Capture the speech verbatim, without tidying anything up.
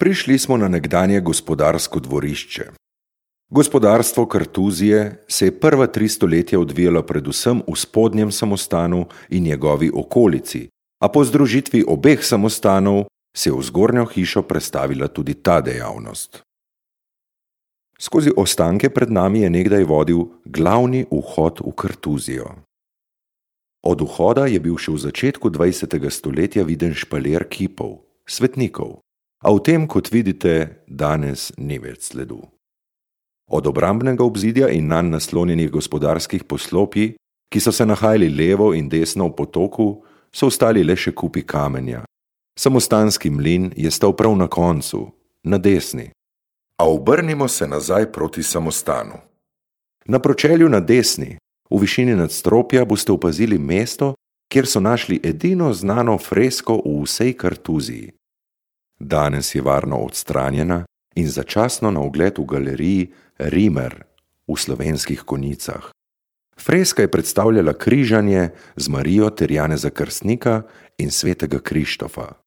Prišli smo na nekdanje gospodarsko dvorišče. Gospodarstvo Kartuzije se je prva tri stoletja odvijalo predvsem v spodnjem samostanu in njegovi okolici, a po združitvi obeh samostanov se je v zgornjo hišo prestavila tudi ta dejavnost. Skozi ostanke pred nami je nekdaj vodil glavni vhod v Kartuzijo. Od vhoda je bil še v začetku dvajsetega stoletja viden špalir kipov, svetnikov, a v tem, kot vidite, danes ni več sledu. Od obrambnega obzidja in nanj naslonjenih gospodarskih poslopij, ki so se nahajali levo in desno v potoku, so ostali le še kupi kamenja. Samostanski mlin je stal prav na koncu, na desni. A obrnimo se nazaj proti samostanu. Na pročelju na desni, v višini nadstropja, boste opazili mesto, kjer so našli edino znano fresko v vsej Kartuziji. Danes je varno odstranjena in začasno na ogled v galeriji Rimer v Slovenskih Konjicah. Freska je predstavljala križanje z Marijo ter Janeza Krstnika in svetega Krištofa.